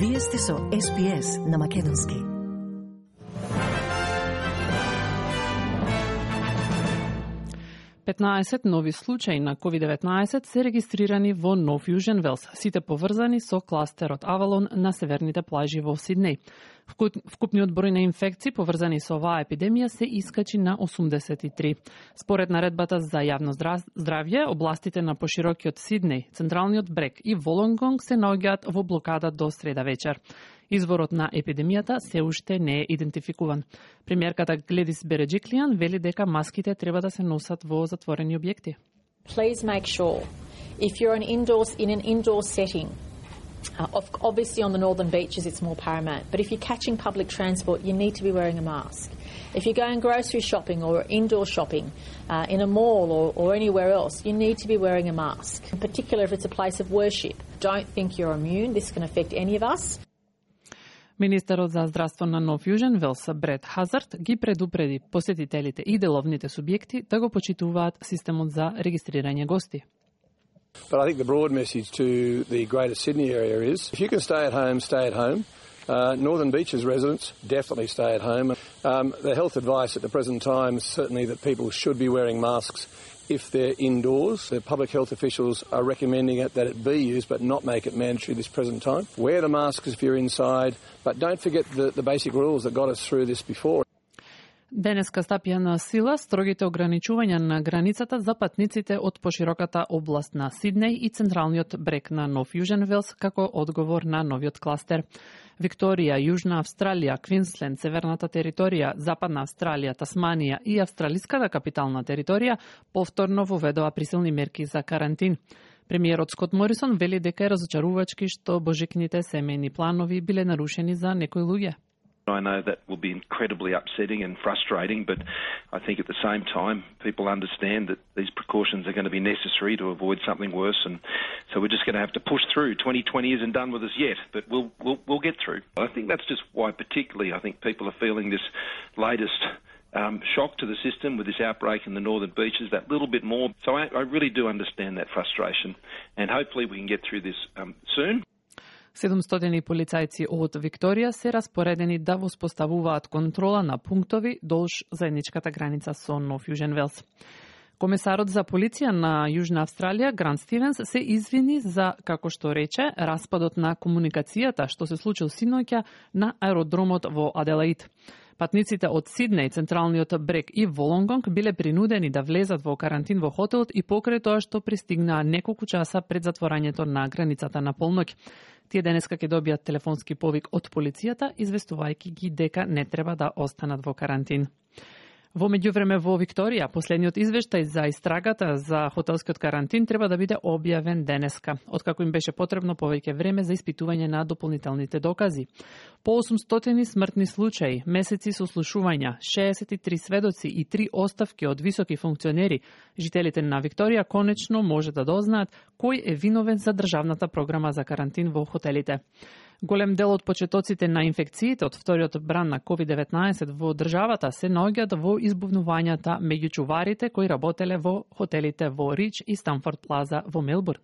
Вие сте со SPS на македонски. Петнаесет нови случаи на COVID-19 се регистрирани во Нов Јужен Велс, сите поврзани со кластерот Авалон на северните плажи во Сиднеј. Вкупниот број на инфекции поврзани со оваа епидемија се искачи на 83. Според наредбата за јавно здравје, областите на поширокиот Сиднеј, Централниот брег и Волонгонг се наоѓаат во блокада до среда вечер. Изворот на епидемијата се уште не е идентификуван. Премиерката Гледис Береджиклијан вели дека маските треба да се носат во затворени објекти. Please make sure if you're in an indoor setting, obviously on the northern beaches it's more paramount, but if you're catching public transport you need to be wearing a mask. If you're going grocery shopping or indoor shopping in a mall or anywhere else, you need to be wearing a mask. In particular if it's a place of worship. Don't think you're immune, this can affect any of us. Министерот за здравство на Нов Јужен Велс Брет Хазард ги предупреди посетителите и деловните субјекти да го почитуваат системот за регистрирање гости. But I think the broad message to the Greater Sydney area is if you can stay at home, stay at home. Northern Beaches residents, definitely stay at home. The health advice at the present time is certainly that people should be wearing masks if they're indoors. The public health officials are recommending that it be used but not make it mandatory this present time. Wear the masks if you're inside, but don't forget the basic rules that got us through this before. Денеска стапија на сила строгите ограничувања на границата за патниците од пошироката област на Сиднеј и централниот брег на Нов Јужен Велс како одговор на новиот кластер. Викторија, Јужна Австралија, Квинсленд, Северната територија, Западна Австралија, Тасманија и Австралиската капитална територија повторно воведоа присилни мерки за карантин. Премиерот Скот Морисон вели дека е разочарувачки што божикните семејни планови биле нарушени за некои луѓе. I know that will be incredibly upsetting and frustrating, but I think at the same time people understand that these precautions are going to be necessary to avoid something worse, and so we're just going to have to push through. 2020 isn't done with us yet, but we'll get through. I think that's just why particularly I think people are feeling this latest shock to the system with this outbreak in the northern beaches that little bit more. So I really do understand that frustration, and hopefully we can get through this soon. 700 полицајци од Викторија се распоредени да воспоставуваат контрола на пунктови долж заедничката граница со Нов Јужен Велс. Комесарот за полиција на Јужна Австралија, Грант Стивенс, се извини за, како што рече, распадот на комуникацијата што се случил синоќа на аеродромот во Аделаид. Патниците од Сиднеј, Централниот брег и Волонгонг биле принудени да влезат во карантин во хотелот и покрај тоа што пристигнаа неколку часа пред затворањето на границата на полноќ. Тие денеска ќе добијат телефонски повик од полицијата, известувајќи ги дека не треба да останат во карантин. Во меѓувреме во Викторија, последниот извештај за истрагата за хотелскиот карантин треба да биде објавен денеска, откако им беше потребно повеќе време за испитување на дополнителните докази. По 800 смртни случаи, месеци сослушувања, 63 сведоци и 3 оставки од високи функционери, жителите на Викторија конечно може да дознаат кој е виновен за државната програма за карантин во хотелите. Голем дел од почетоците на инфекциите од вториот бран на COVID-19 во државата се наоѓаат во избувнувањата меѓу чуварите кои работеле во хотелите во Рич и Станфорд Плаза во Мелбурн.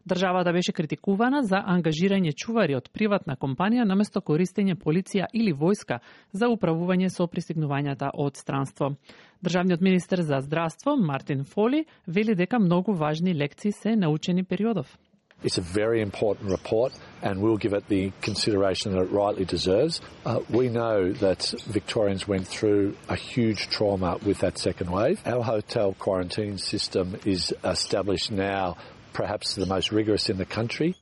Државата беше критикувана за ангажирање чувари од приватна компанија наместо користење полиција или војска за управување со пристигнувањата од странство. Државниот министер за здравство Мартин Фоли вели дека многу важни лекции се научени периодов. It's a very important report and we'll give it the consideration that it rightly deserves. We know that Victorians went through a huge trauma with that second wave. Our hotel quarantine system is established now, perhaps the most rigorous in the country.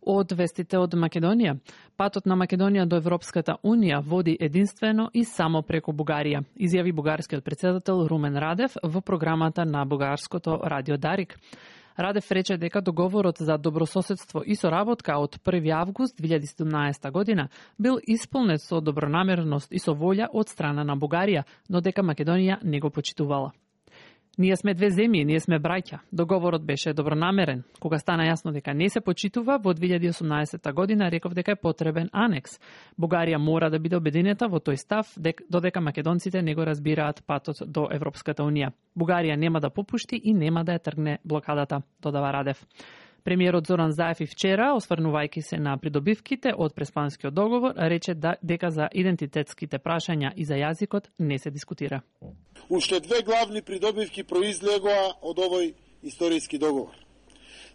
Од вестите од Македонија. Патот на Македонија до Европската Унија води единствено и само преку Бугарија, изјави бугарскиот претседател Румен Радев во програмата на бугарското радио Дарик. Радев рече дека договорот за добрососедство и соработка од 1 август 2017 година бил исполнет со добронамерност и со волја од страна на Бугарија, но дека Македонија не го почитувала. Ние сме две земји, ние сме браќа. Договорот беше добронамерен. Кога стана јасно дека не се почитува, во 2018 година реков дека е потребен анекс. Бугарија мора да биде обединета во тој став, додека македонците не го разбираат патот до Европската Унија. Бугарија нема да попушти и нема да ја тргне блокадата, додава Радев. Премиерот Зоран Заев и вчера, осврнувајќи се на придобивките од Преспанскиот договор, рече дека за идентитетските прашања и за јазикот не се дискутира. Уште две главни придобивки произлегоа од овој историски договор.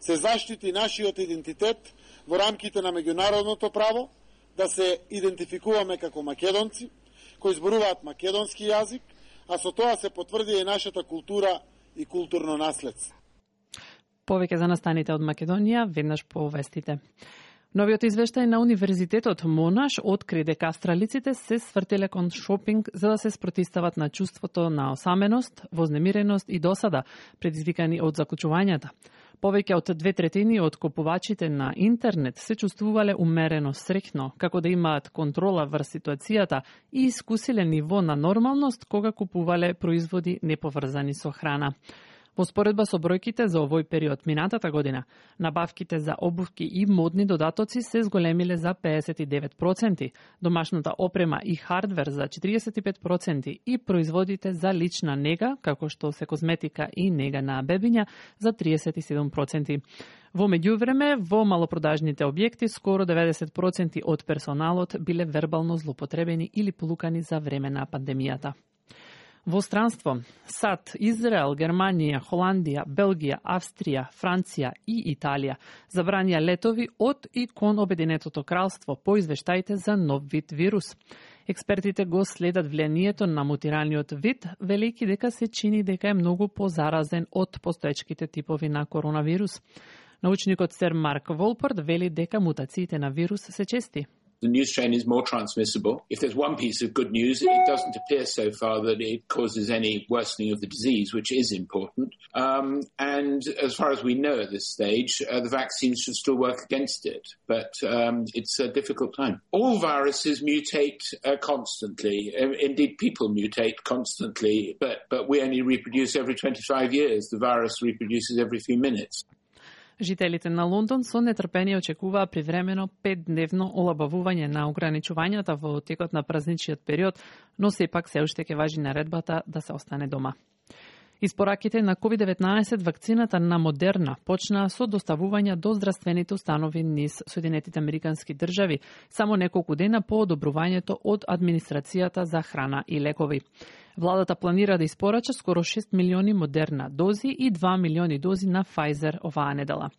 Се заштити нашиот идентитет во рамките на меѓународното право, да се идентификуваме како македонци, кои зборуваат македонски јазик, а со тоа се потврди и нашата култура и културно наследство. Повеќе за настаните од Македонија, веднаш по вестите. Новиот извештај на Универзитетот Монаш откри дека австралиците се свртеле кон шопинг за да се спротистават на чувството на осаменост, вознемиреност и досада, предизвикани од заклучувањата. Повеќе од 2/3 од купувачите на интернет се чувствувале умерено среќно, како да имаат контрола врз ситуацијата и искусиле ниво на нормалност кога купувале производи неповрзани со храна. Во споредба со бројките за овој период минатата година, набавките за обувки и модни додатоци се зголемиле за 59%, домашната опрема и хардвер за 45% и производите за лична нега, како што се козметика и нега на бебиња, за 37%. Во меѓувреме, во малопродажните објекти, скоро 90% од персоналот биле вербално злоупотребени или полукани за време на пандемијата. Во странство, САД, Израел, Германија, Холандија, Белгија, Австрија, Франција и Италија забранија летови од и кон Обединетото кралство по извештаите за нов вид вирус. Експертите го следат влијанието на мутираниот вид, велејќи дека се чини дека е многу позаразен од постоечките типови на коронавирус. Научникот Сер Марк Волпорт вели дека мутациите на вирус се чести. The new strain is more transmissible. If there's one piece of good news, it doesn't appear so far that it causes any worsening of the disease, which is important. And as far as we know at this stage, the vaccines should still work against it. But it's a difficult time. All viruses mutate constantly. Indeed, people mutate constantly, but we only reproduce every 25 years. The virus reproduces every few minutes. Жителите на Лондон со нетрпение очекуваа привремено 5-дневно олабавување на ограничувањата во текот на празничниот период, но сепак се уште ќе важи наредбата да се остане дома. Испораките на COVID-19 вакцината на Модерна почнаа со доставување до здравствените установи низ Соединетите Американски држави, само неколку дена по одобрувањето од Администрацијата за храна и лекови. Владата планира да испорача скоро 6 милиони Модерна дози и 2 милиони дози на Pfizer оваа недела.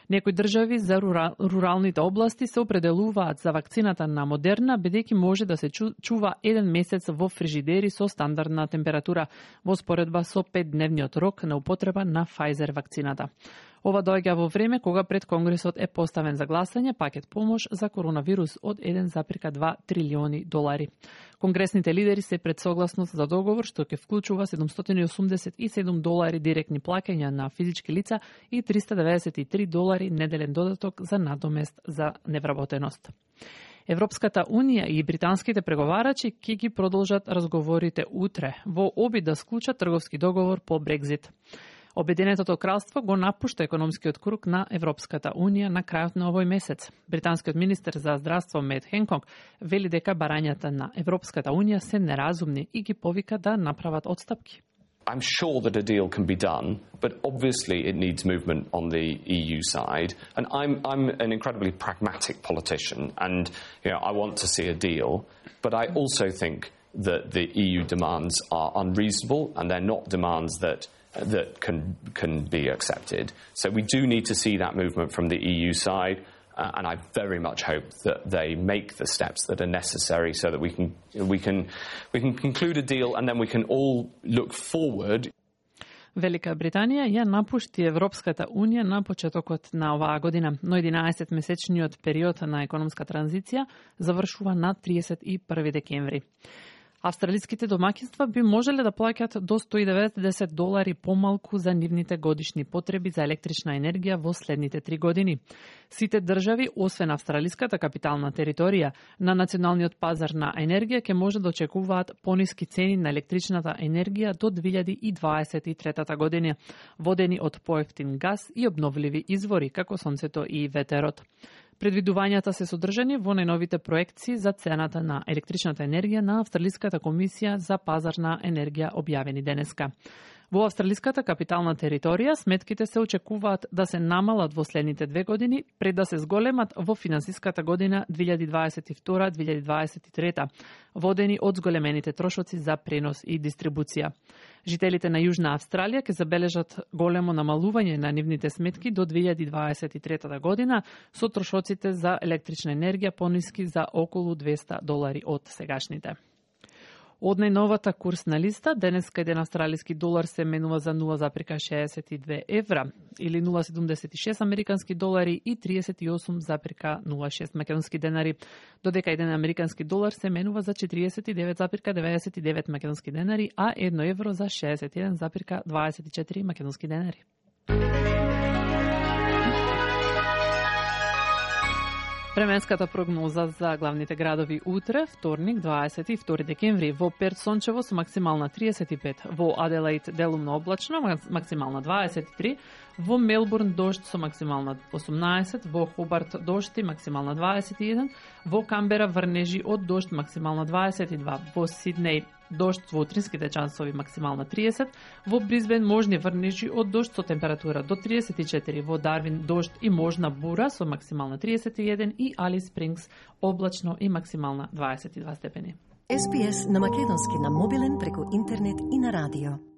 Некои држави за руралните области се определуваат за вакцината на Модерна, бидејќи може да се чува 1 месец во фрижидери со стандардна температура, во споредба со 5-дневниот рок на употреба на Pfizer вакцината. Ова доаѓа во време кога пред Конгресот е поставен за гласање пакет помош за коронавирус од 1,2 трилиони долари. Конгресните лидери се пред согласност за договор што ќе вклучува $787 директни плаќања на физички лица и $393 неделен додаток за надомест за невработеност. Европската Унија и британските преговарачи ќе ги продолжат разговорите утре во обид да склучат трговски договор по Брекзит. Обединетото кралство го напушта економскиот круг на Европската Унија на крајот на овој месец. Британскиот министер за здравство Мет Хенкок вели дека барањата на Европската Унија се неразумни и ги повика да направат отстапки. I'm sure that a deal can be done, but obviously it needs movement on the EU side. And I'm an incredibly pragmatic politician, and I want to see a deal. But I also think that the EU demands are unreasonable, and they're not demands that can be accepted. So we do need to see that movement from the EU side. And I very much hope that they make the steps that are necessary so that we can conclude a deal and then we can all look forward. Велика Британија ја напушти Европската Унија на почетокот на оваа година, но 11-месечниот период на економска транзиција завршува на 31 декември. Австралиските домаќинства би можеле да плаќат до $190 помалку за нивните годишни потреби за електрична енергија во следните 3 години. Сите држави, освен австралиската капитална територија, на националниот пазар на енергија ќе може да очекуваат пониски цени на електричната енергија до 2023 година, водени од поевтин газ и обновливи извори, како сонцето и ветерот. Предвидувањата се содржани во најновите проекции за цената на електричната енергија на Австралиската комисија за пазарна енергија објавени денеска. Во австралиската капитална територија сметките се очекуваат да се намалат во следните 2 години пред да се зголемат во финансиската година 2022-2023, водени од зголемените трошоци за пренос и дистрибуција. Жителите на Јужна Австралија ќе забележат големо намалување на нивните сметки до 2023 година, со трошоците за електрична енергија пониски за околу $200 од сегашните. Од најновата курсна листа, денеска еден австралиски долар се менува за 0,62 евра или 0,76 американски долари и 38,06 македонски денари, додека еден американски долар се менува за 49,99 македонски денари, а 1 евро за 61,24 македонски денари. Временската прогноза за главните градови утре, вторник, 22 декември, во Перт сончево со максимална 35, во Аделаид делумно облачно, максимална 23, во Мелбурн дожд со максимална 18, во Хобарт дожд и максимална 21, во Камбера врнежи од дожд максимална 22, во Сиднеј дожд во утринските часови максимална 30, во Бризбен можни врнежи од дожд со температура до 34, во Дарвин дожд и можна бура со максимална 31 и Алис Спрингс облачно и максимална 22 степени. SPS на македонски на мобилен преку интернет и на радио.